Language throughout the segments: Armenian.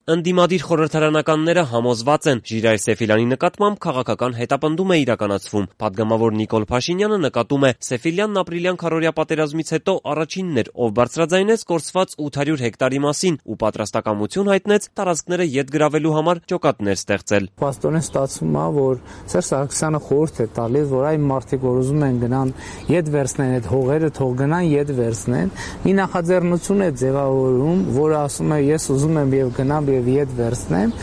Ընդդիմադիր խորհրդարանականները համոզված են, Ժիրայր Սեֆիլյանի նկատմամբ քաղաքական հետապնդում է իրականացվում։ Պատգամավոր Նիկոլ Փաշինյանը նկատում է, Սեֆիլյանն ապրիլյան քառօրյա պատերազմից հետո առաջինն էր, ով բարձրաձայնեց կորսված 800 հեկտարի մասին ու պատրաստակամություն հայտնեց տարածքները ետ գրավելու համար ջոկատներ ստեղծել։ Պաստորեն ստացվում է, որ Սերժ Սարգսյանը խորհուրդ է տալիս, որ այն մարդիկ, որ ուզում են գնան ետ վերցնեն այդ հողերը, թող գնան ետ վերցնեն։ Մի նախաձեռնություն է ձևավորում, որը ասում է ես ուզում եմ եւ գնամ եւ ետ վերցնեմ,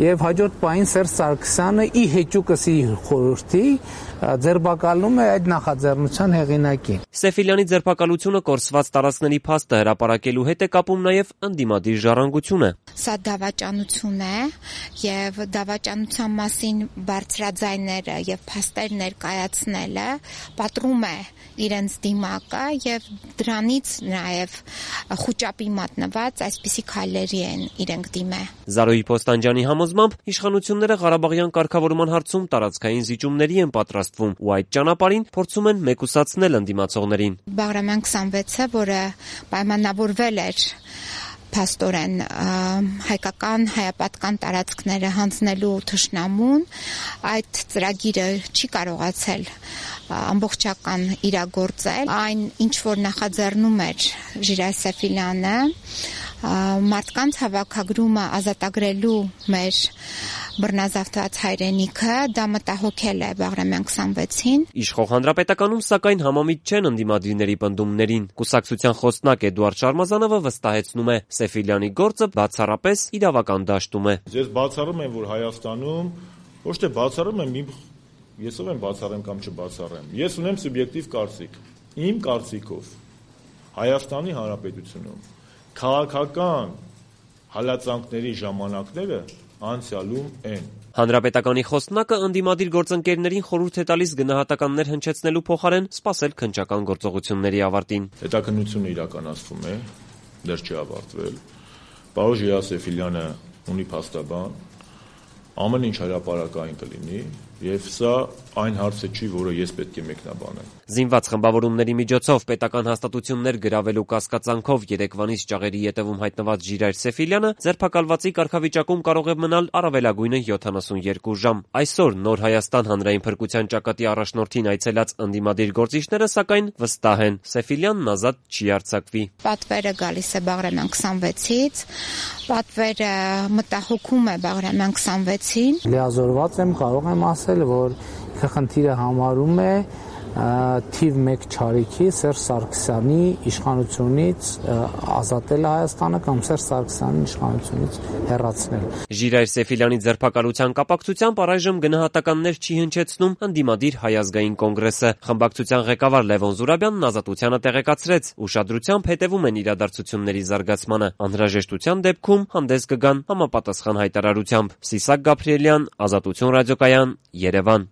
եւ հաջորդ պահին Սերժ Սարգսյանը ի հեճուկս իր խորհրդի ձերբակալում է այդ նախաձեռնության հեղինակին։ Սեֆիլյանի ձերբակալությունը կորսված տարածքների փաստը հրապարակելու հետ է կապում նաեւ ընդդիմադիր ժառանգությունը։ Սա դավաճանություն է եւ դավաճանության մասին բարձրաձայները եւ փաստեր ներկայացնելը պատռում է իրենց դիմակը եւ դրանից նաեւ խոճապի մատնված այսպիսի քայլերի են իրենք դիմե։ Զարոյի Պոստանջյանի համոզմամբ իշխանությունները Ղարաբաղյան կարգավորման հարցում տարածքային զիջումների են պատրաստվում ու այդ ճանապարհին փորձում են մեկուսացնել ընդդիմացողներին։ Բաղրամյան 26-ը, որը պայմանավորվել էր փաստորեն հայկական հայապատկան տարածքները հանձնելու թշնամուն, այդ ծրագիրը չի կարողացել ամբողջական իրագործել։ Այն ինչ որ նախաձեռնում էր Ժիրայր Սեֆիլյանը, մարդկանց հավաքագրումը ազատագրելու մեր բռնազավթված հայրենիքը, դա մտահոգել է Բաղրամյան 26-ին։ Իշխող հանրապետականում սակայն համամիտ չեն ընդդիմադիրների պնդումներին։ Կուսակցության խոսնակ Էդուարդ Շարմազանովը վստահեցնում է, Սեֆիլյանի գործը բացառապես իրավական դաշտում է։ Ես բացառում եմ, որ Հայաստանում ոչ թե բացառում եմ, ես ով եմ բացառեմ կամ չբացառեմ։ Ես ունեմ սուբյեկտիվ կարծիք։ Իմ կարծիքով Հայաստանի Հանրապետությունում քաղաքական հալածանքների ժամանակները անցյալում են։ Հանրապետականի խոսնակը ընդդիմադիր գործընկերներին խորհուրդ է տալիս գնահատականներ հնչեցնելու փոխարեն սպասել քննչական գործողությունների ավարտին։ Հետաքննությունը իրականացվում է, դեռ չի ավարտվել։ Պարոն Ժիրայր Սեֆիլյանը ունի փաստաբան, ամեն ինչ հրապարակային կլինի, եւ սա այն հարցը չի, որը ես պետք է մեկնաբանեմ։ Զինված խմբավորումների միջոցով պետական հաստատություններ գրավելու կասկածանքով երեկվանից ճաղերի ետևում հայտնված Ժիրայր Սեֆիլյանը ձերբակալվածի կարգավիճակում կարող է մնալ առավելագույնը 72 ժամ։ Այսօր Նոր Հայաստան հանրային փրկության ճակատի առաջնորդին այցելած ընդդիմադիր գործիչները սակայն վստահ են, Սեֆիլյանն ազատ չի արձակվի։ Պատվերը գալիս է Բաղրամյան 26-ից, պատվերը մտահոգում է Բաղրամյան 26-ին։ Լիազորված եմ, կարող եմ ասել, որ խնդիրը համարում է թիվ 1 չարիքի Սերժ Սարգսյանի իշխանությունից ազատել Հայաստանը կամ Սերժ Սարգսյանի իշխանությունից հեռացնել։ Ժիրայր Սեֆիլյանի ձերբակալության կապակցությամբ առայժմ գնահատականներ չի հնչեցնում ընդդիմադիր Հայ ազգային կոնգրեսը։ Խմբակցության ղեկավար Լևոն Զուրաբյանն Ազատությանը տեղեկացրեց, ուշադրությամբ հետևում են իրադարձությունների զարգացմանը։ Անհրաժեշտության դեպքում հանդես կգան համապատասխան հայտարարությամբ։ Սիսակ Գաբրիելյան, Ազատություն ռադիոկայան, Երևան։